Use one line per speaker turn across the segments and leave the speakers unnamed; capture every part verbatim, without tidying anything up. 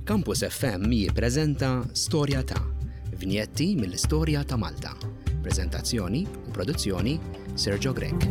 Campus F M jippreżenta Storja ta' Vinjetti mill-Istorja ta' Malta. Prezentazzjoni u produzzjoni, Sergio Grech.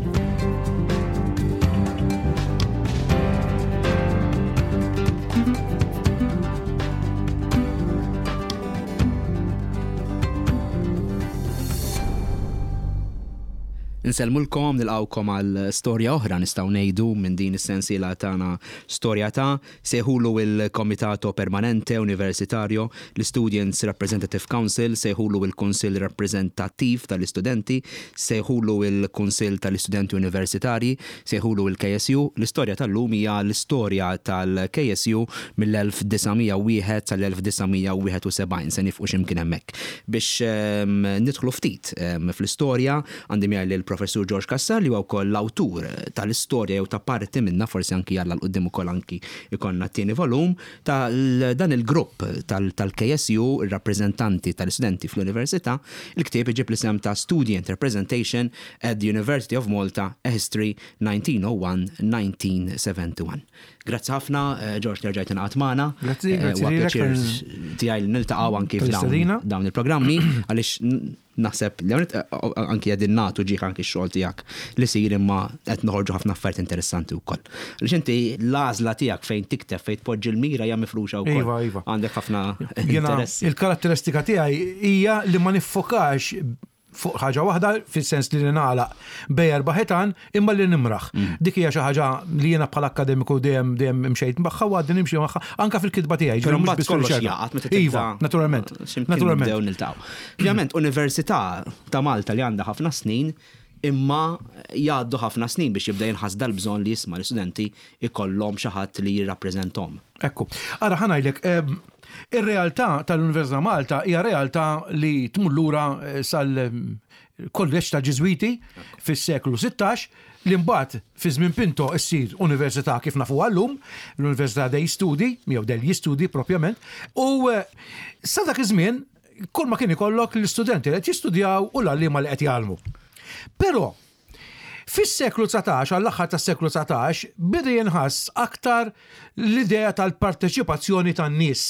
Insellmulkom, nilqgħukom għal storja oħra, nistgħu ngħidu, minn din is-sensiela tagħna Storja ta'. Sejħulu il-Comitato Permanente Universitario, l-Students Representative Council, sejħulu il-Kunsill Rappreżentattiv tal-Istudenti, sejħulu il-Kunsill tal-Istudenti Universitari, sejħulu il-K S U. L-istorja tal-lum hija l-istorja tal-K S U mill-elf disa' mija u wieħed sal-elf disa' mija u wieħed u sebgħin, se nieqfu x'imkien hemmhekk. Biex ehm, nidħlu ftit ehm, fl-istorja, għandi miegħi lill-Professur George Cassar, li huwa wkoll l-awtur tal-istorja jew ta' parti minna, forsi anki jalla 'l quddiem ukoll anki ikollna t-tieni volum ta' dan il-grupp tal-K S U, il-rappreżentanti tal-istudenti fl-Università. Il-ktieb iġib l-isem ta' Student Representation at the University of Malta, A History nineteen oh one nineteen seventy-one. Grazzi ħafna, eh, George, li rġajt ingħaqadt magħna.
Grazzi,
Eh,
grazzi
Huwa
lilek
pjaċir
per-
tiegħi li niltaqgħu anki f'dawn
tal-istedina.
dawn il-programmi, għaliex naħseb li hawnhekk, eh, anki qegħdin nagħtu ġieħ anki x-xogħol tiegħek li sir, imma qed noħorġu ħafna affarijiet interessanti wkoll. Għaliex inti l-għażla tiegħek fejn tikteb, fejn tpoġġi l-mira, hija mifruxa wkoll.
Iva, iva.
Għandek ħafna
Jiena
interessi.
il-karatteristika tiegħi hija li ma niffokax fuq ħaġa waħda, fis-sens li nagħlaq bejn erba' ħitan, imma li nimraħ.
Mm.
Dik hija xi ħaġa li jiena bħala akademiku dejjem dejjem imxejt magħha u għadni nimxi magħha anke fil-kitba tiegħi.
Però
Ġifieri mhux
mbagħad
biss
kollox
fil-riċerka.
jaqgħad meta tibda.
Iva, naturalment.
X'imkien
Naturalment.
nibdew niltaqgħu. Ovvjament, Università ta' Malta li għandha ħafna snin, imma jgħaddu ħafna snin biex jibda jinħass dal-bżonn li jisma' l-istudenti ikollhom xi ħadd li jirrappreżentahom.
Ekku. Ara, ħa ngħidlek, em, ir-realtà tal-Università Malta hija realtà li tmur lura eh, sal-kolleġġ ta' Ġiżwiti fis-seklu sittax, li mbagħad fi żmien Pinto issir università kif nafu llum, l-Università dei Studi, jew degli Studi propjament, u eh, sa dak iż-żmien kull ma kien ikollok l-istudenti li qed jistudjaw u l-għalliema li qed jgħallmu. Però fis-seklu dsatax, għall-aħħar tas-seklu dsatax, bida jinħass aktar l-idea tal-parteċipazzjoni tan-nies.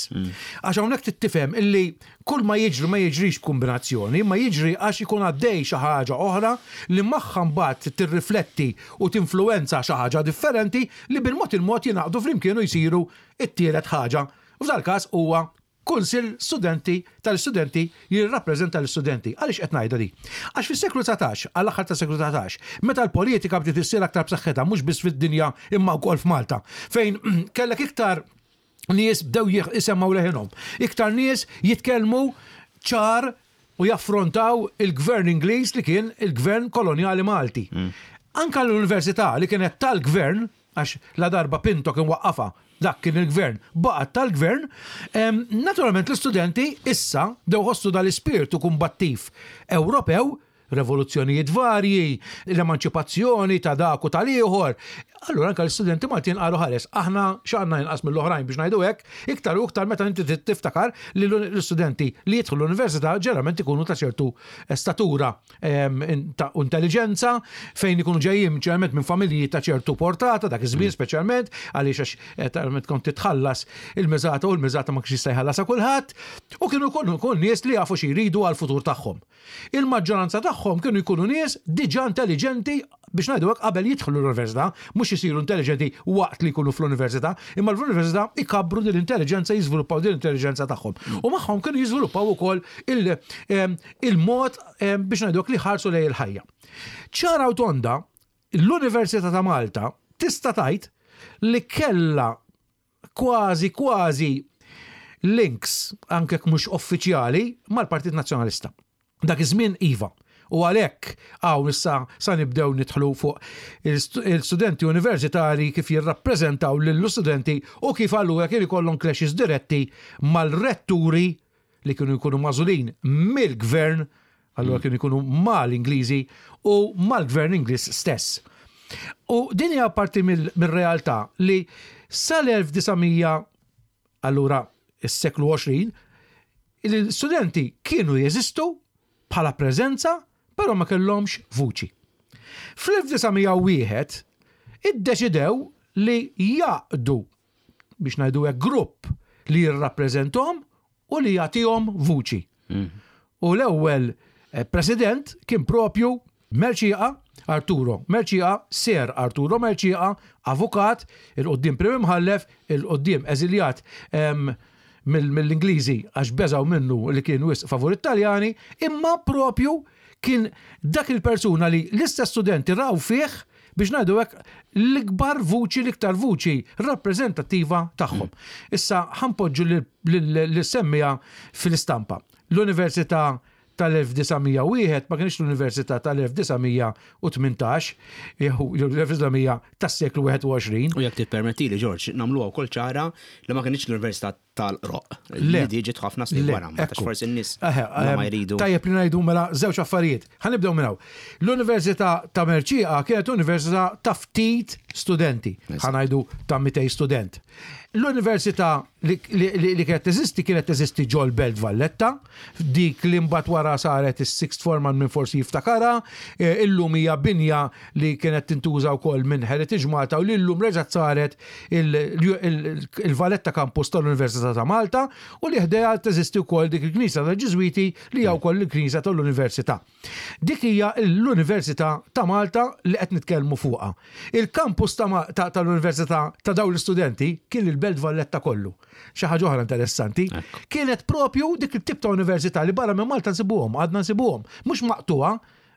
Għax hawnhekk tittifhem illi kull ma jiġri ma jiġrix kombinazzjoni, ma jiġri għax ikun għaddej xi ħaġa oħra li magħha mbagħad tirrifletti u tinfluwenza xi ħaġa differenti li bil-mod il-mod jingħaqdu flimkien u jsiru it-tielet ħaġa. U f'dal każ huwa Kunsill Studenti tal-Istudenti jirrappreżenta l-istudenti. Għaliex qed ngħidha di? Għax fis-seklu dsatax, għall-aħħar tas-seklu dsatax, meta l-politika bdiet issir aktar b'saħħitha, mhux biss fid-dinja imma wkoll f'Malta, fejn kellek iktar nies bdew jisemmaw leħinhom. Iktar nies jitkellmu ċar u jaffrontaw il-gvern Ingliż li kien il-gvern koloniali Malti. Anka l-università li kienet tal-gvern, għax la darba Pinto kien waqqafa, dak kien il-gvern, baqgħet tal-gvern, em, naturalment l-istudenti issa bdew ħossu dal-ispirtu kumbattiv Ewropew, revoluzzjonijiet varji, l-emanċipazzjoni ta' dak u tal-ieħor. Allura anka l-istudenti Maltin qalu, "Ħares, aħna x'għandna inqas mill-oħrajn?" biex ngħidu hekk, iktar u iktar meta inti tiftakar li l-istudenti li jidħlu l-università ġeneralment ikunu ta' ċertu statura em, ta' intelligenza, fejn ikunu ġejjin ġeneralment minn familji ta' ċertu portata, dak iż-żmien speċjalment, għaliex għax eh, talment kont titħallas il-miżata u l-miżata ma kienx jista' jħallasha kulħadd, u kienu jkunu jkunu nies li jafu xi jridu għall-futur tagħhom. Il-maġġoranza tagħhom kienu jkunu nies diġà intelligenti, biex ngħidu hekk, qabel jidħlu l-università, mhux isiru intelligenti waqt li jkunu fl-università, imma l-università ikabbru din l-intelligenza, jiżviluppaw din l-intelligenza tagħhom. U magħhom kienu jiżviluppaw ukoll il- em, il-mod em, biex ngħidu hekk li ħarsu lejn il-ħajja. Ċara u tonda, l-Università ta' Malta tista' tgħid li kella kważi kważi links, anke jekk mhux uffiċjali, mal-Partit Nazzjonalista. Dak iż-żmien iva. U għalhekk hawn issa sa nibdew nidħlu fuq il-studenti universitari kif jirrappreżentaw lill-studenti u kif allura kien ikollhom clashes diretti mal-retturi li kienu jkunu magħżulin mill-gvern, allura kienu jkunu mal-Ingliżi u mal-gvern Ingliż stess. U din hija parti mill-realtà li sal-elf disa' mija, allura is-seklu għoxrin, l-studenti kienu jeżistu bħala preżenza, però ma kellhomx vuċi. Fl-elf disa' mija u wieħed iddeċidew li jgħaqqdu, biex ngħidu hekk, grupp li jirrappreżentahom u li jagħtihom vuċi. U l-ewwel eh, president kien propju Mercieca, Arturo Mercieca, Sir Arturo Mercieca, avukat, il-quddiem prim imħallef, il-quddiem eżiljat em, mill- mill-Ingliżi għax beżaw minnu li kien wisq favur Italjani, imma propju kien dak il-persuna li l-istess studenti raw fih biex ngħidu hekk l-ikbar vuċi, l-iktar vuċi rappreżentattiva tagħhom. Issa ħa npoġġu l-semmija fil-istampa. L-Università tal-elf disa' mija u wieħed ma kienx l-Università tal-elf disa' mija u tmintax, jew l-elf disa' mija tas-seklu wieħed u għoxrin.
U jekk tippermettili, George, nagħmluha wkoll ċara li ma kienx l-Università tal-Qroqq.
Le.
Li ġiet ħafna snin
Le,
wara, ma tax
ekku.
forsi n-nies
Eħe,
la ma
em,
jridu.
Tajjeb li ngħidu mela żewġ affarijiet. Ħa nibdew minn hawn. L-Università ta' Mercieca kienet università ta' ftit studenti. Ħa ngħidu ta' mitejn student. L-Università li, li, li, li kienet teżisti kienet teżisti ġol Belt Valletta, dik li mbagħad wara saret is-Sixth Form minn forsi jiftakara, eh, illum hija binja li kienet tintuża wkoll minn Heritage Malta u li llum reġgħet saret il-Valletta Campus tal-Università ta' Malta u li ħdejha teżisti wkoll dik il-Knisja tal-Ġiżwiti li hija wkoll il-Knisja tal-Università. Dik hija l-Università ta' Malta li qed nitkellmu fuqha. Il-campus tal-Università ta' dawn l-istudenti kien il-Belt Valletta kollu. Xi ħaġa oħra interessanti, kienet propju dik il-tip ta' università li barra minn Malta nsibuhom, għadna nsibuhom, mhux maqtuha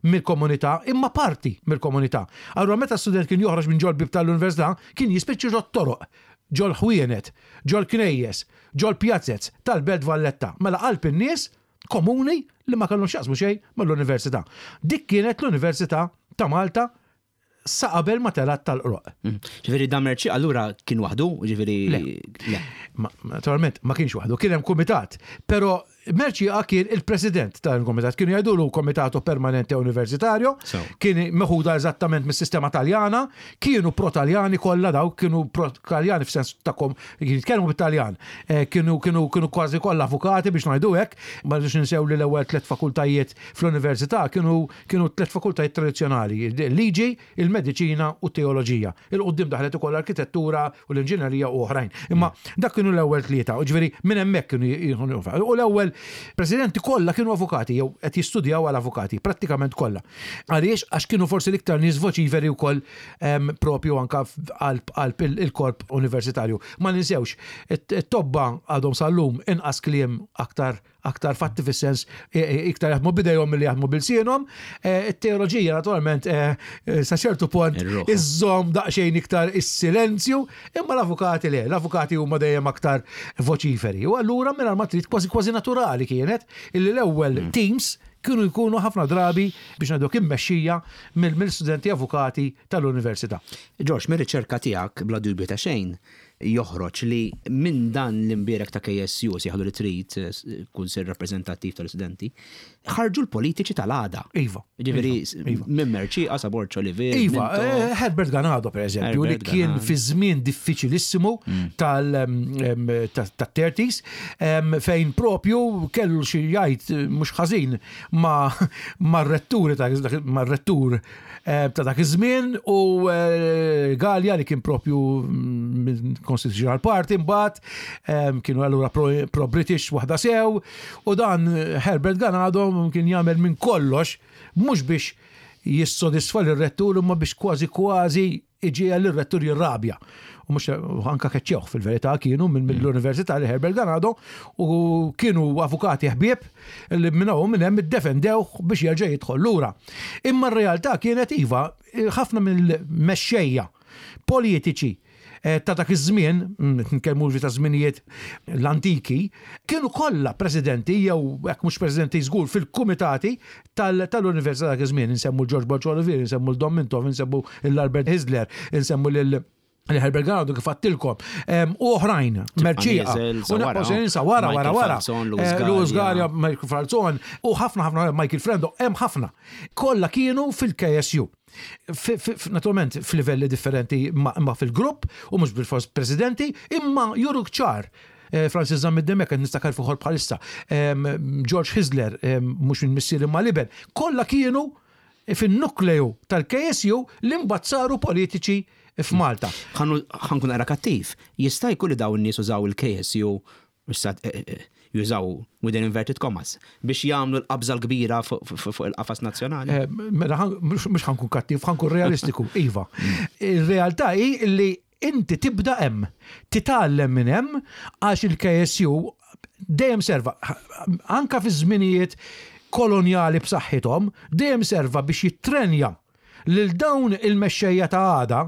mill-komunità, imma parti mill-komunità. Allura meta student kien joħroġ minn ġol bib tal-università, kien jispiċċi ġol toroq, ġol ħwienet, ġol knejjes, ġol pjazzez tal-Belt Valletta. Mela qalb in-nies komuni li ma kellhom x'jaqsmu xejn mal-università. Dik kienet l-Università ta' Malta sa qabel ma telat tal-Qroqq.
Mm. Ġifieri dan Mercieca allura kien waħdu, ġifieri. Le.
Naturalment, ma kienx waħdu, kien hemm kumitat. Però Mercieca kien il-president tal-komitat, kienu jgħidulu Comitato Permanente Universitario, kien meħuda eżattament mis-sistema Taljana, kienu pro-Taljani kollha daw, kienu pro-Taljani f'sens ta' kom, jitkellmu bit-Taljan, eh, kienu kienu kienu kważi kollha avukati biex ngħidu hekk, ma rridux ninsew li l-ewwel tliet fakultajiet fl-università kienu kienu tliet fakultajiet tradizzjonali, il-liġi, il-mediċina u t-teoloġija. Il-qudiem daħlet ukoll l-arkitettura u l-inġinerija u oħrajn. Imma dak kienu l-ewwel tlieta, u ġifieri minn hemmhekk kienu, u l-ewwel presidenti kollha kienu avukati jew qed jistudjaw għal avukati, prattikament kollha. Għaliex? Għax kienu forsi l-iktar nies voċiferi wkoll propju anka qalb il-korp universitarju. Ma ninsewx, it-tobba għadhom sal-lum inqas kliem, aktar aktar fatti, fis-sens e, e, iktar jaħdmu bidejhom milli jaħdmu b'ilsienhom. E, it-teoloġija naturalment sa ċertu punt iżżomm daqsxejn iktar is-silenzju, imma l-avukati le, l-avukati huma dejjem aktar voċiferi. U allura minn ma trid kważi kważi naturali kienet illi l-ewwel mm. teams kienu jkunu ħafna drabi biex ngħidu immexxija mill-studenti avukati tal-università.
George, mir-riċerka tiegħek bla dubju ta' xejn joħroġ li minn dan l-imbierek ta' K S U, sejjaħlu li trid, kunsill rappreżentattiv tal-studenti, ħarġu l-politiċi tal-għada.
Iva.
Ġifieri iva. minn Mercieca, sa Borg Olivier.
Iva, eh, Herbert Ganado per eżempju, li kien fi żmien diffiċilissimu mm. tal-thirties, fejn propju kellu xi jgħid mhux ħażin ma' retturi ma' rettur eh, ta' dak iż-żmien u eh, Gallia li kien propju mm, Constitutional Party mbagħad kienu allura pro-British waħda sew u dan Herbert Ganado kien jagħmel minn kollox mhux biex jissodisfa l-rettur imma biex kważi kważi iġiegħel l-rettur jirrabja. U mhux anka keċċewh fil-verità kienu mill-Università li Herbert Ganado u kienu avukati ħbieb li minn hawn minn hemm iddefendew biex jerġa' jidħol lura. Imma r-realtà kienet iva, ħafna mill-mexxejja politiċi eh, ta' dak iż-żmien, mm, nitkellmu ta' żminijiet l-antiki, kienu kollha presidenti jew hekk mhux presidenti żgur fil-kumitati tal-Università dak iż-żmien, insemmu George Borg Olivier, insemmu l-Dom Mintoff, insemmu l-Albert Hyzler, insemmu lil Herbert Ganado kif għedtilkom, u oħrajn, Mercieca, u ninsa wara, wara, wara, Louis Galea, Michael Falzon, u ħafna, ħafna, Michael Frendo, hemm ħafna. Kollha kienu fil-K S U. Naturalment f'livelli differenti ma fil-grupp u mhux bil-fors presidenti, imma juruk ċar eh, Francis Zammit Demek, nistakar fuħor bħalissa, George Hyzler, mhux minn missier imma l-iben, kollha kienu fin-nukleju tal-K S U li mbagħad saru politiċi. f'Malta.
Ħa nkun ara kattiv, jista' jkun li dawn in-nies użaw il-K S U, eh, eh, jużaw within inverted commas, biex jagħmlu l-qabża l-kbira fuq il-qafas nazzjonali.
Eh, mela, mhux ħa nkun kattiv, ħa nkun realistiku, iva. Il-realtà hi li inti tibda hemm, titgħallem minn hemm, għax il-K S U dejjem serva, anka fi żminijiet kolonjali b'saħħithom, dejjem serva biex jittrenja lil dawn il-mexxejja ta' għada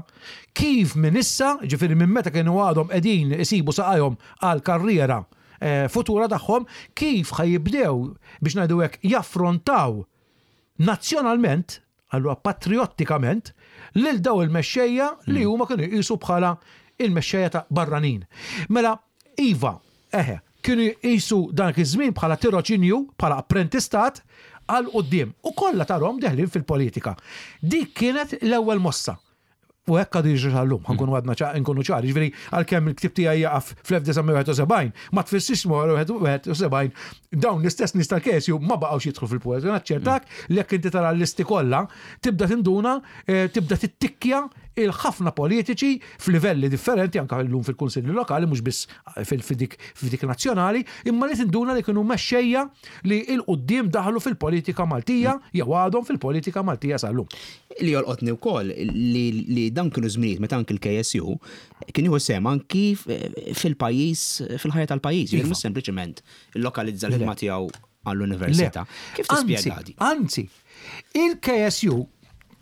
kif minn issa, ġifieri minn meta kienu għadhom qegħdin isibu saqajhom għal karriera eh, futura tagħhom, kif ħa jibdew, biex ngħidu hekk, jaffrontaw nazzjonalment, allura patriottikament, lil daw il-mexxejja li hmm. huma kienu jqisu bħala il-mexxejja ta' barranin. Mela, iva, eħe, kienu jqisu dan iż-żmien bħala tiroċinju, bħala apprentistat għal quddiem u kollha tarahom deħlin fil-politika. Dik kienet l-ewwel mossa. U hekk għadu jiġri sal-lum, ħa nkunu għadna nkunu ċari, ġifieri għalkemm il-ktib tiegħi jaqaf fl-elf disa' mija wieħed u sebgħin, ma tfissirx wieħed u sebgħin dawn l-istess nies tal-K S U ma baqgħux jidħlu fil-politika. Naċċertak li jekk inti tara l-listi kollha, tibda tinduna, eh, tibda tittikkja il-ħafna politiċi f'livelli differenti, anka llum fil-kunsilli lokali, mhux biss fil-dik f'dik nazzjonali, imma li tinduna li kienu mexxejja li 'l quddiem daħlu fil-politika Maltija jew għadhom fil-politika Maltija sal-lum.
Li jolqotni wkoll li, li dan kienu żminijiet meta anki l-K S U kien jieħu sehem anki fil-pajjiż, fil-ħajja tal-pajjiż, iva. Mhux sempliċement lokalizza l-ħidma tiegħu għall-università. Kif tispjega di?
Anzi, il-K S U,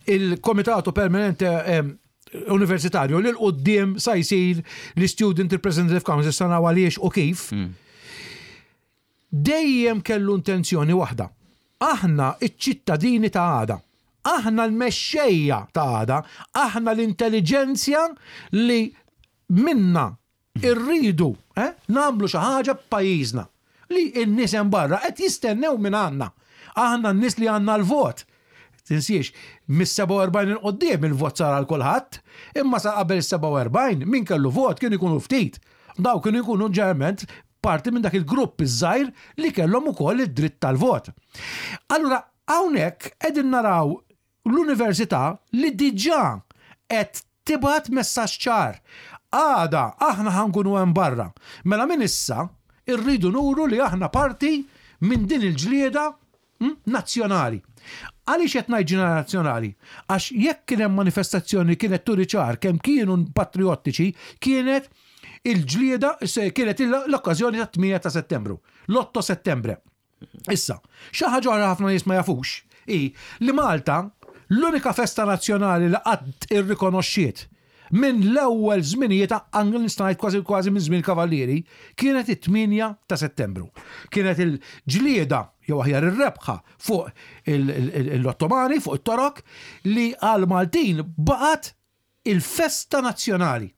il-Komitato Permanente Universitarju, li 'l quddiem sa jsir l-Student Representative Council, sana għaliex u kif, mm. dejjem kellu intenzjoni waħda. Aħna iċ-ċittadini ta' għada. Aħna l-mexxejja ta' għada, aħna l-intelliġenzja li minna irridu eh, nagħmlu xi ħaġa b'pajjiżna li n-nies hemm barra qed jistennew minn għandna. Aħna n-nies li għandna l-vot. Tinsiex, mis-sebgħa u erbgħin 'il quddiem il-vot sar għal kulħadd, imma sa qabel is-sebgħa u erbgħin min kellu vot kienu jkunu ftit. Daw kienu jkunu ġeneralment parti minn dak il-grupp iż-żgħir li kellhom ukoll id-dritt tal-vot. Allura hawnhekk qegħdin naraw l-università li diġà qed tibgħat messaġġ ċar. Għada aħna ħa nkunu hemm barra. Mela minn issa irridu nuru li aħna parti minn din il-ġlieda hm, nazzjonali. Għaliex qed ngħid nazzjonali? Għax jekk kien hemm manifestazzjoni kienet turi ċar kemm kienu patriottiċi, kienet il-ġlieda, kienet l-okkażjoni ta' tmienja ta' Settembru, l-otto settembre. Issa, xi ħaġa oħra ħafna nies ma jafux hi li Malta l-unika festa nazzjonali li qatt irrikonoxxiet minn l-ewwel żminijiet, anke nista' ngħid kważi kważi minn żmien Kavallieri, kienet it-tmienja ta' Settembru. Kienet il-ġlieda, jew aħjar ir-rebħa fuq l-Ottomani, fuq it-Torok, li għal Maltin baqgħet il-festa nazzjonali.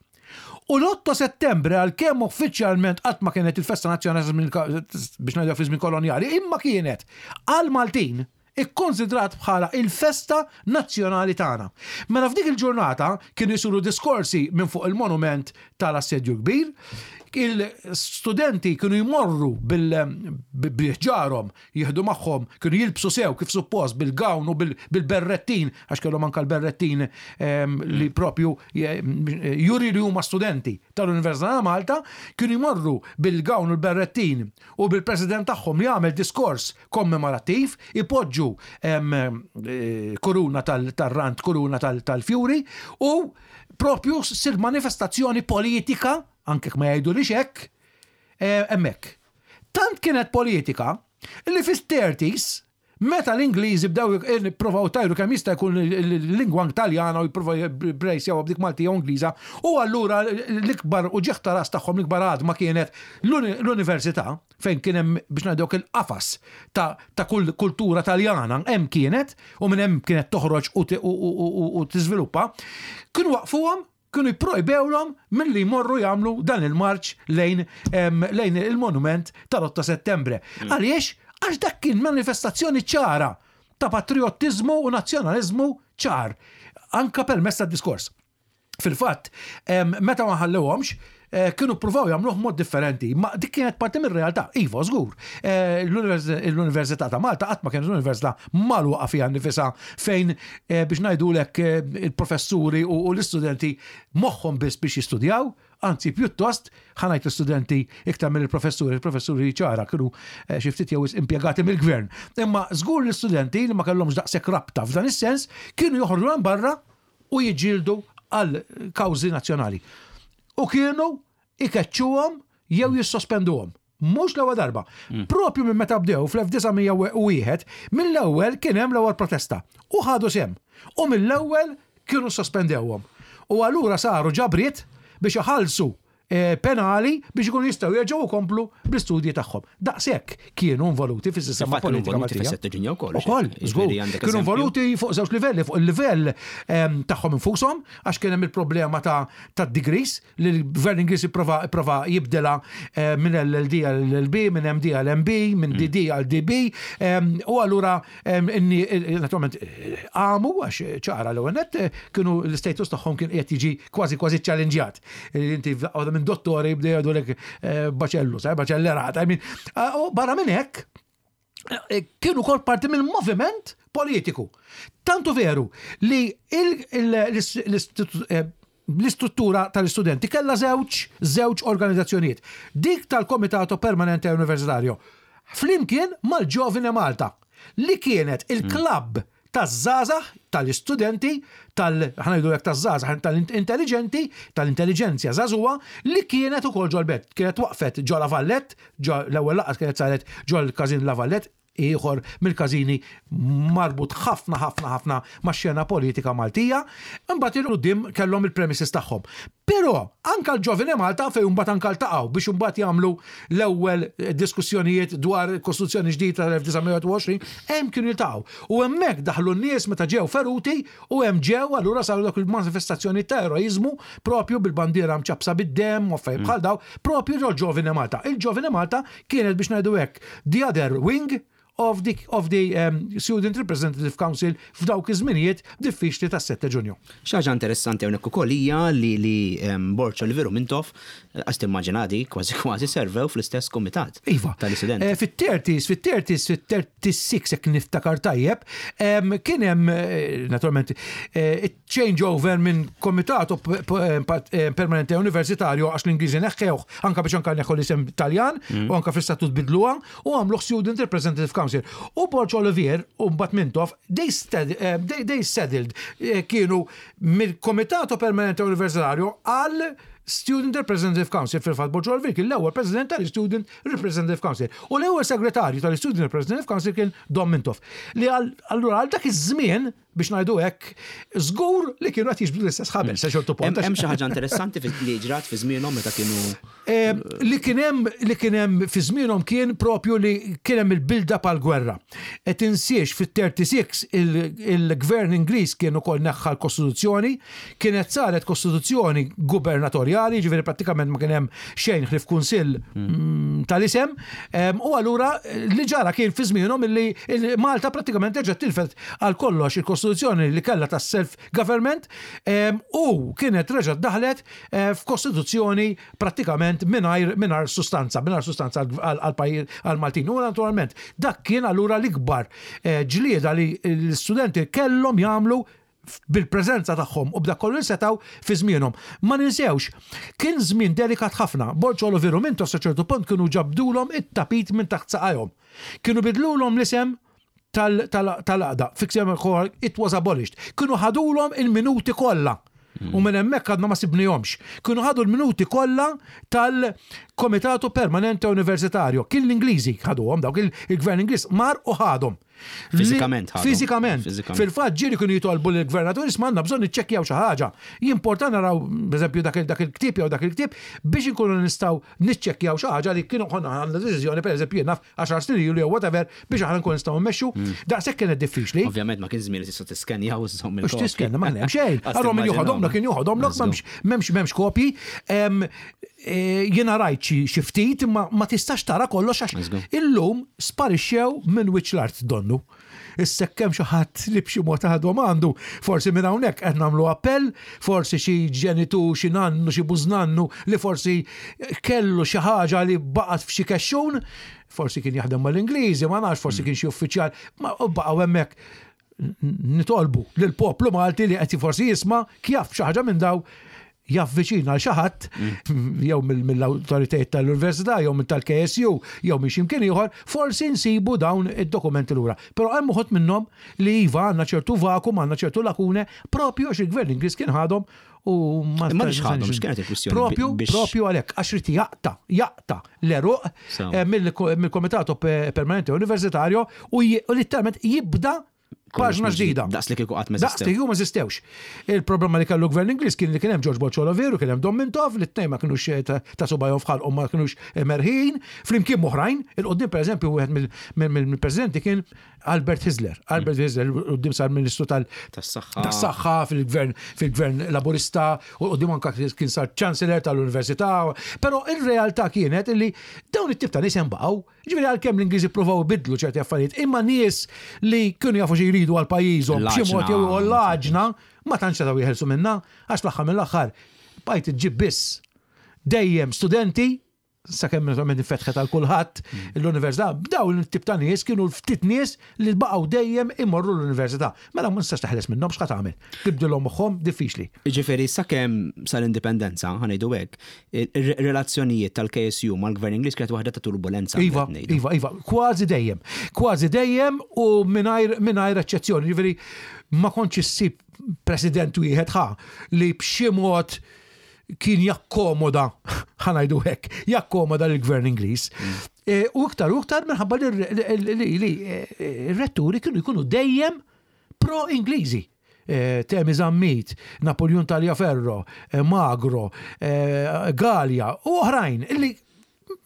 U l-otto settembre, għalkemm uffiċjalment qatt ma kienet il-festa nazzjonali biex ngħidu fi żmien kolonjali, imma kienet għal Maltin ikkonsidrat bħala il-festa nazzjonali tagħna. Mela f'dik il-ġurnata kienu jsiru diskorsi minn fuq il-monument tal-Assedju Kbir, il-studenti kienu jmorru bil-ħġarhom, jieħdu magħhom, kienu jilbsu sew kif suppost bil-gown u bil-berrettin, għax kellhom anka l-berrettin li propju juri li huma studenti tal-Università ta' Malta, kienu jmorru bil-gown u l-berrettin u bil-president tagħhom li jagħmel diskors kommemorattiv, ipoġġu eh, kuruna tal-rant, kuruna tal-fjuri u propju ssir manifestazzjoni politika, anke ma jgħidu li xek, eh, hemmhekk. Tant kienet politika li fis-thirties, meta l-Ingliżi bdew jippruvaw itajru kemm jista' jkun il-lingwa Taljana u jippruvaw jibbrejsjaw b'dik Maltija u Ingliża, u allura l-ikbar u uġigħ ta' ras tagħhom, l-ikbar għadma kienet l-università fejn kien hemm, biex ngħiduk, il-qafas ta' kull kultura Taljana hemm kienet u minn hemm kienet toħroġ u tiżviluppa, kienu waqfuhom, kienu jipprojbewlhom milli jmorru jagħmlu dan il-marċ lejn lejn il-monument tal-otto settembre. Mm. Għaliex? Għax dak kien manifestazzjoni ċara ta' patriotizmu u nazzjonalizmu ċar, anka permezz tad-diskors. Fil-fatt, meta ma ħallewhomx, eh, kienu provaw jagħmluh mod differenti, ma dik kienet parti mir-realtà. Iva, żgur. Eh, L-Università ta' Malta qatt ma kienet università magħluqa fiha nifisha fejn eh, biex ngħidulek eh, il-professuri u u l-istudenti moħħhom biss biex jistudjaw, anzi pjuttost ħa ngħid l-istudenti iktar mill-professuri, il-professuri ċara kienu eh, xi ftit jew impjegati mill-gvern. Imma żgur l-istudenti li ma kellhomx daqshekk rabta f'dan is-sens kienu joħorġu hemm barra u jiġġieldu għal kawżi nazzjonali. U kienu ikeċċuhom jew jissospenduhom. Mhux l-ewwel darba. Propju minn meta bdew fl-elf disa' mija u wieħed, mill-ewwel kien hemm l-ewwel protesta. U ħadu sehem. U mill-ewwel kienu sospendewhom. U allura saru ġabriet biex iħallsu eh, penali biex ikunu jistgħu jerġgħu jkomplu bl-istudji tagħhom. Daqshekk kienu involuti fis-sistema
Infatti kienu
politika
involuti
Maltija.
fis-sette Ġunju wkoll.
Ukoll, żgur.
Jiġifieri għandek
Kienu
eżempju.
involuti fuq żewġ livelli, fuq il-livell em, tagħhom infushom, għax kien hemm il-problema ta' ta' degrees li l-gvern Ingliż ipprova ipprova jibdela eh, minn L L D għal L L B, minn M D għal M B, minn D D għal D B, em, u allura em, inni naturalment eh, għamu għax ċara l net kienu l-status tagħhom kien qiegħed jiġi kważi kważi challengejat. Inti għadha minn dottori bdew jgħidulek eh, baċellu, sai baċellerat. I mean, eh, u barra minn hekk, eh, kienu kol parti minn moviment politiku. Tantu veru li il- il- l-istitut- eh, l-istruttura tal-istudenti kella żewġ żewġ organizzazzjonijiet. Dik tal-Komitato Permanente Universitario flimkien mal-Giovine Malta li kienet il-klabb taż-żgħażagħ, tal-istudenti, tal ħa ngħidu hekk taż-żgħażagħ, tal-intelligenti, tal-intelligenzja żagħżugħa li kienet ukoll ġol-Belt. Kienet waqfet ġo La Vallette, ġo l-ewwel laqgħa kienet saret ġol każin La Vallette, ieħor mill-każini marbut ħafna ħafna ħafna ma' xena politika Maltija, imbagħad il quddiem kellhom il-premises tagħhom. Però anka l-Giovine Malta fejn mbagħad anka ltaqgħu biex imbagħad jagħmlu l-ewwel diskussjonijiet dwar Kostituzzjoni ġdida tal-elf disa' mija u għoxrin, hemm kienu jiltaqgħu. U hemmhekk daħlu n-nies meta ġew feruti u hemm ġew allura saru dak il-manifestazzjoni ta' eroiżmu propju bil-bandiera mċapsa bid-dem u affarijiet bħal daw, propju ġol Giovine Malta. Il-Giovine Malta kienet, biex ngħidu hekk, the other wing of the, of the um, Student Representative Council f'dawk iż-żminijiet diffiċli tas-sette Ġunju.
Xi ħaġa interessanti hawnhekk ukoll hija li li em, Borg Olivier u Mintoff, għax timmaġinadi, kważi kważi servew fl-istess komitat
Iva.
tal-istudenti.
Eh, Fit-thirties, fit-thirties, fit-thirty-six, jekk niftakar tajjeb, em, kien hemm eh, naturalment eh, change over minn komitato p- p- eh, pat- eh, permanente universitario, għax l-Ingliżi neħħewh anka biex anka neħħu l-isem Taljan u anka fl-istatut bidluha u għamluh Student Representative Council. U Borg Olivier u mbagħad Mintoff, they, sted- eh, they, they settled, eh, kienu mill-Komitato Permanente Universitario għal Student Representative Council. Fil-fatt Borg Olivier kien l-ewwel president tal-Student Representative Council. U l-ewwel segretarju tal-Student Representative Council kien Dom Mintoff. Li għal- allura għal dak iż-żmien, biex ngħidu hekk, żgur li kienu qed jiġbdu l-istess ħabel sa ċertu punt.
Hemm hemm xi ħaġa interessanti fi- li ġrat fi żmienhom meta kienu
Eh, li kien hemm li kien hemm fi żmienhom kien propju li kien hemm il-build-up għal gwerra. E tinsiex fit-thirty-six il- il-gvern Ingliż kien ukoll neħħa l-Kostituzzjoni, kienet saret kostituzzjoni gubernatorjali, ġifieri prattikament ma kien hemm xejn ħlief kunsill mm, tal-isem, em, u allura eh, li ġara kien fi żmienhom illi il- Malta prattikament reġgħet tilfet għal kollox il-kostituzzjoni li kellha tas-self government em, u kienet reġgħet daħlet eh, f'kostituzzjoni prattikament mingħajr mingħajr sustanza, mingħajr sustanza għal għal pajjiż għal Maltin. U naturalment dak kien allura l-ikbar eh, ġlieda li l-studenti kellhom jagħmlu bil-preżenza tagħhom u b'dak kollu li setgħu fi żmienhom. Ma ninsewx, kien żmien delikat ħafna. Borg Olivier u Mintoff sa ċertu punt kienu ġabdulhom it-tapit minn taħt saqajhom. Kienu bidlulhom l-isem tal-għaqda. Fiksem it was abolished. Kienu ħadulhom il-minuti kollha. U minn hemmhekk għadna ma sibnihomx. Kienu ħadu l-minuti kollha tal-Komitato Permanente Universitario. Kien l-Ingliżi ħaduhom dawk, il-gvern Ingliż mar u ħadhom.
Fiżikament ħadhom.
Fiżikament.
Fiżikament.
Fil-fatt ġieli kienu jitolbu lill-gvernatur, isma', għandna bżonn niċċekkjaw xi ħaġa. Jimporta naraw, pereżempju, dak il- dak il-ktieb jew dak il-ktieb biex inkunu nistgħu niċċekkjaw xi ħaġa li kienu konna għandna deċiżjoni, pereżempju, jien naf, għaxar snin ilu jew whatever, biex aħna nkunu nistgħu mmexxu. Daqshekk kienet diffiċli.
Ovvjament ma kien żmien li tista' tiskenja u żomm
Mux tiskenna, ma hemm xejn. Allora min joħodhom kien joħodhom lok, m'hemmx m'hemmx m'hemmx kopji. Em, eh, Jiena rajt xi xi ftit, imma ma tistax tara kollox għax
Let's go.
illum sparixxew minn wiċċ l-art donnu. Issa kemm xi ħadd li b'xi mod għadhom għandu, forsi minn hawnhekk qed nagħmlu appell, forsi xi ġenitu, xi nannu, xi bużnannu li forsi kellu xi ħaġa li baqgħet f'xi kexxun, forsi kien jaħdem mal-Ingliżi, ma nafx, forsi kien xi uffiċjal, ma baqgħu hemmhekk. Nitolbu lill-poplu Malti li qed forsi jisma' kjaf xi ħaġa minn daw javviċina għal xi ħadd jew mill-awtoritajiet tal-Università jew minn tal-K S U jew minn x'imkien ieħor, forsi nsibu dawn id-dokumenti lura. Però hemm uħud minnhom li iva, għandna ċertu vakum, għandna ċertu lakune, propju għax il-gvern Ingliż kien ħadhom u ma
Imma biex ħadhom, x'kienet il-kwistjoni?
Propju,
Biex-
propju għalhekk, għax rid jaqta, jaqta l-għeruq
Sew.
eh, mill-Comitato Permanente Universitario u j- u literalment jibda paġna ġdida.
Daqs li kieku qatt ma
Daqs li
eżistew.
kieku ma eżistewx. Il-problema li kellu gvern Ingliż kien li kien hemm George Borg Olivier u kien hemm Dom Mintoff li t-tnejn ma kinux eh, ta' ta' subajhom f'ħalqhom, ma kinux eh, merħin. Flimkien oħrajn, il-qudiem, pereżempju, wieħed mill- mill- mill-presidenti kien Albert Hyzler. Albert Hyzler quddiem sar ministru tal-
Tas-saħħa.
tas-saħħa fil-gvern fil-gvern Laburista u quddiem anka kien sar chancellor tal-università. Però ir-realtà kienet illi dawn it-tip ta' nies hemm baqgħu. Ġifieri għalkemm l-Ingliżi provaw bidlu ċerti affarijiet, imma nies li kienu jafu xi jridu għal pajjiżhom b'xi mod jew
L-għaġna.
l-għaġna ma tantx setgħu jeħelsu minnha, għax l-aħħar mill-aħħar bajt iġġib biss dejjem studenti, sakemm naturalment infetħet għal kulħadd l-università, dawn it-tip ta' nies kienu ftit nies li baqgħu dejjem imorru l-università. Mela ma nistax taħles minnhom, x'ħa tagħmel? Tibdilhom moħħhom, diffiċli.
Ġifieri, sakemm sal-indipendenza, ħa ngħidu hekk, ir-relazzjonijiet tal-K S U mal-Gvern Ingliż kienet waħda ta' turbulenza.
Iva,
qed ngħidu.
iva, iva, kważi dejjem. Kważi dejjem u mingħajr mingħajr eċċezzjoni. Ġifieri ma kontx issib president wieħed ħa li b'xi mod kien jakkomoda, ħa ngħidu hekk, jakkomoda l-gvern Ingliż. E, U iktar u iktar minħabba li li- li li, eh, r-retturi kienu jkunu dejjem pro-Ingliżi. Eh, Temi Zammit, Napoleon Tagliaferro, eh, Magro, eh, Galea u oħrajn illi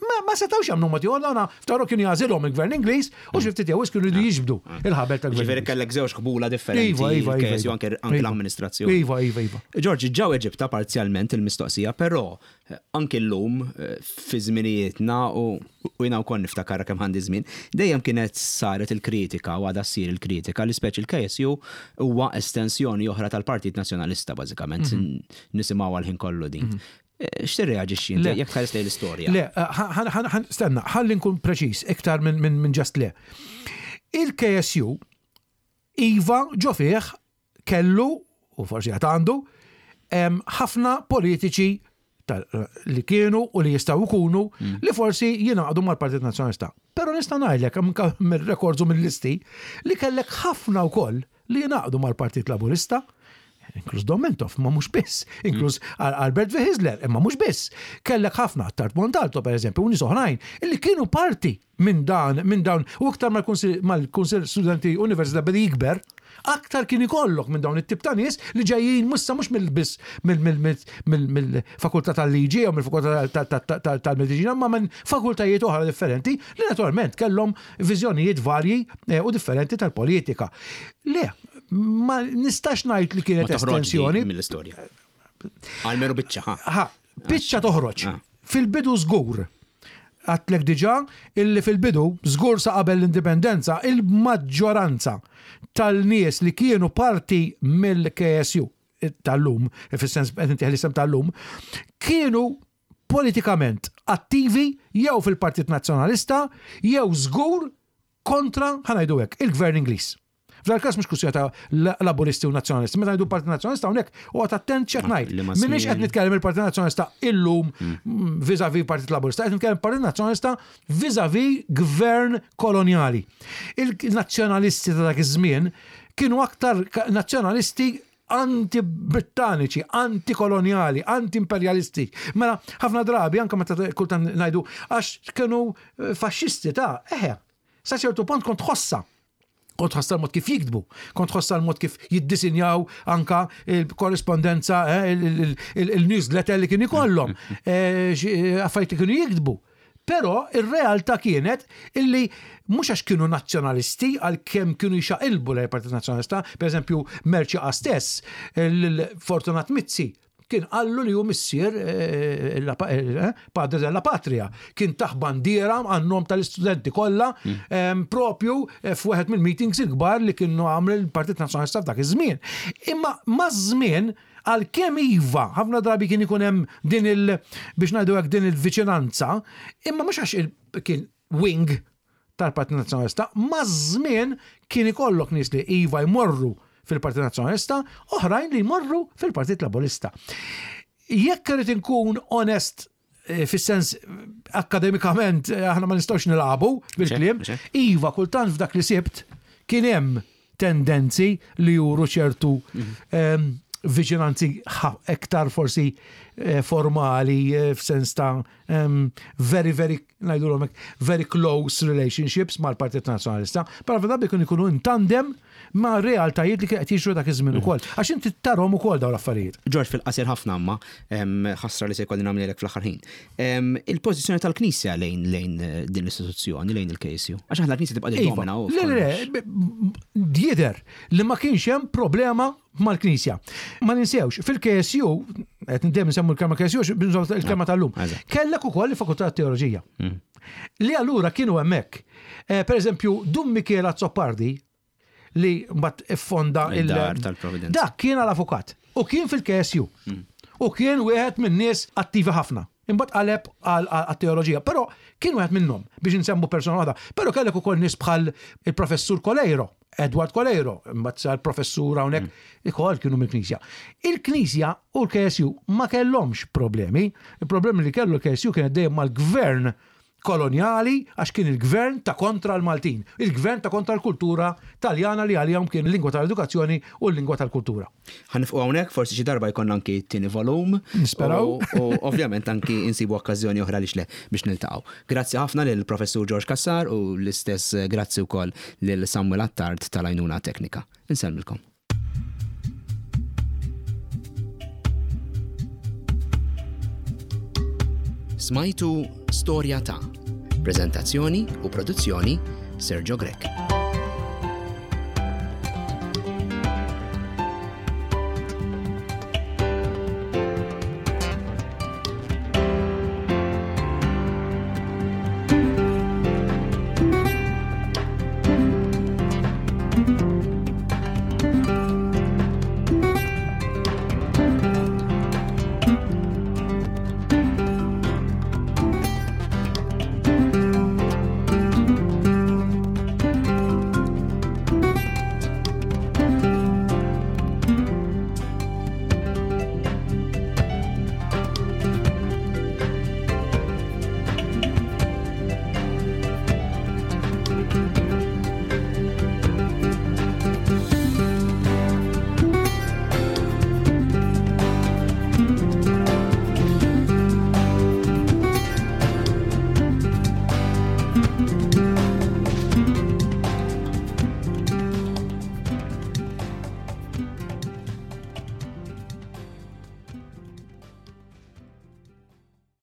ma, ma setawx jagħmlu ma tiegħu għana ftaru kienu jagħżilhom il-gvern Ingliż u xi ftit jew kienu jridu jiġbdu il-ħabel tal-gvern.
Ġifieri kellek żewġ ħbula differenti.
Iva, iva, iva.
il-K S U
iva.
anke anke
Iva.
l-amministrazzjoni.
Iva, iva, iva.
George, ġa weġibtha parzjalment il-mistoqsija, però eh, anke llum eh, fi żminijietna u u jiena wkoll niftakar kemm għandi żmien, dejjem kienet saret il-kritika u għadha ssir il-kritika li speċi il-K S U huwa estensjoni oħra tal-Partit Nazzjonalista bażikament, nisimgħu għal-ħin kollu din. Eh, X'tirreaġixxi inti
Le.
jekk tħares lejn l-istorja?
Le, ħan- ħan- ħan- stenna, ħalli nkun preċiż iktar minn min, min just le. Il-K S U, iva, ġo fih kellu, u forsi għad għandu, em, ħafna politiċi tal- li kienu u li jistgħu jkunu li forsi jingħaqdu mal-Partit Nazzjonalista. Però nista' ngħidlek anke mir-rekords u mill-listi li kellek ħafna wkoll li jingħaqdu mal-Partit Laburista, inkluż Dom Mintoff, ma mhux biss, inkluż Al- Albert Hyzler, imma mhux biss. Kellek ħafna Attard Montalto, per eżempju, u nies oħrajn, illi kienu parti minn dan, minn dawn, u iktar mal-Kunsill mal-Kunsill Studenti Università beda jikber, aktar kien ikollok minn dawn it-tip ta' nies li ġejjin mussa mhux mill-biss mill-fakultà tal-liġi jew mill-fakultà tal-mediċina, ma minn fakultajiet oħra differenti li naturalment kellhom viżjonijiet varji eh, u differenti tal-politika. Le, ma nistax ngħid li
Ma
kienet
toħroġ di
estensjoni.
mill-istorja. Almenu biċċa, ħa.
Ha, biċċa toħroġ.
Ah.
Fil-bidu żgur. Għedtlek diġà illi fil-bidu, żgur sa qabel l-indipendenza, il-maġġoranza tal-nies li kienu parti mill-K S U tal-lum, fis-sens qed intih l-isem tal-lum, kienu politikament attivi jew fil-Partit Nazzjonalista jew żgur kontra, ħa ngħidu hekk, il-Gvern Ingliż. F'dal każ mhux kwistjoni ta' Laburisti u Nazzjonalisti. Meta ngħidu Partit Nazzjonalista hawnhekk huwa attent x'qed ngħid.
Li ma
Minix qed
żmien.
nitkellem il-Partit Nazzjonalista illum vis-à-vis Partit Laburista, qed nitkellem Partit Nazzjonalista vis-à-vis gvern koloniali. Il-nazzjonalisti ta' dak iż-żmien kienu aktar ka- nazzjonalisti anti-brittaniċi, anti-koloniali, anti-imperialisti. Mela, ħafna drabi, anka meta kultant ngħidu, għax kienu eh, faxxisti ta' eħe, sa ċertu punt kont tħossa. Kont tħossa l-mod kif jiktbu, kont tħossa l-mod kif jiddisinjaw anka il-korrespondenza, eh, il- il- il-newsletter li kien ikollhom, eh, xi- eh, affarijiet li kienu jiktbu. Però ir-realtà kienet illi mhux għax kienu nazzjonalisti, għalkemm kienu jxaqilbu lejn Partit Nazzjonalista, per eżempju Mercieca stess, il-Fortunat Mizzi Kien qallu li hu missier eh, la- eh, padre della patria. Kien tah bandiera għan-nom tal-istudenti kollha em, propju eh, f'wieħed mill-meetings il-kbar li kienu għamlu l-Partit Nazzjonalista f'dak iż-żmien. Imma maż-żmien għalkemm iva, ħafna drabi kien ikun hemm din il biex ngħidu hekk din il-viċinanza, imma mhux għax il- kien wing tal-Partit Nazzjonalista, maż-żmien kien ikollok nies li iva jmorru fil-Partit Nazzjonalista, oħrajn li jmorru fil-Partit Laburista. Jekk irid inkun onest eh, fis-sens eh, akademikament eh, aħna ma nistgħux nilagħbu bil-kliem,
Mhux hekk.
iva kultant f'dak li sibt kien hemm tendenzi li juru ċertu em, viċinanzi ħa- iktar forsi eh, formali eh, f'sens ta' em, very, very, ngħidulhom hekk, very close relationships mal-Partit Nazzjonalista, però f'dan ikun ikunu in tandem ma' realtajiet li kien qed jiġru dak iż-żmien ukoll. Għax inti tarahom ukoll dawn l-affarijiet.
George, fil-qasir ħafna amma, em, ħasra li se jkolli nagħmlilek fl-aħħar ħin. Em, Il-pożizzjoni tal-Knisja lejn lejn eh, din l-istituzzjoni, lejn il-K S U. Għax aħna l-Knisja tibqa'
Iva,
domina u
le, le, le, b- jidher li ma kienx hemm problema mal-Knisja. Ma ninsewx, fil-K S U, qed dejjem nsemmu l-kelma K S U, binżaw il-kelma tal-lum,
Eżatt.
kellek ukoll il-Fakultà ta' Teoloġija. Li allura kienu hemmhekk. Eh, Per eżempju, Dun Michele Azzopardi, li mbagħad iffonda il-
Il-Dar tal-Providenza.
Dak kien għal-avukat u kien fil-K S U. U kien wieħed minn nies attivi ħafna. Imbagħad qaleb għal teoloġija, però kien wieħed minnhom biex nsemmu persona waħda. Però kellek ukoll nies bħal il-professur Coleiro, Edward Coleiro, imbagħad sar professur hawnhekk, ukoll kienu mill-Knisja. Il-Knisja u l-K S U ma kellhomx problemi. Il-problemi li kellu l-K S U kienet dejjem mal-gvern koloniali, għax kien il-gvern ta' kontra l-Maltin, il-gvern ta' kontra l-kultura taljana li għalihom kien il-lingwa tal-edukazzjoni u l-lingwa tal-kultura.
Ħa nieqfu hawnhekk, forsi xi darba jkollna anki t-tieni volum.
Nisperaw.
U u ovvjament anki insibu okkażjoni oħra li xle biex niltaqgħu. Grazzi ħafna lil professur George Cassar u l-istess eh, grazzi wkoll lil Samuel Attard tal-għajnuna teknika. Insellmilkom. Smajtu Storja ta'. Prezentazzjoni u produzzjoni Sergio Grech.